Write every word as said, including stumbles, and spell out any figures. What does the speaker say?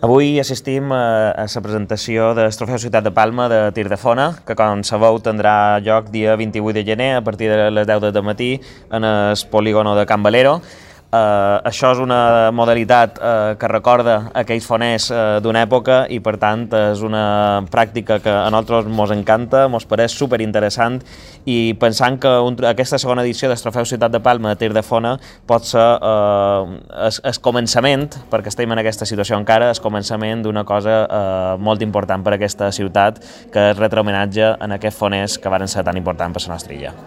Avui assistim a, a la presentació del Trofeu Ciutat de Palma de tir de fona, que com sabeu tindrà lloc dia vint-i-vuit de gener a partir de les deu del matí en el polígono de Can Valero. Uh, això és una modalitat uh, que recorda aquells foners uh, d'una època i per tant és una pràctica que a nosaltres ens encanta, ens pareix superinteressant i pensant que un, aquesta segona edició del Trofeu Ciutat de Palma de tir de fona pot ser uh, el, el començament, perquè estem en aquesta situació encara, el començament d'una cosa uh, molt important per a aquesta ciutat, que és retre homenatge a aquests foners que van ser tan importants per la nostra illa.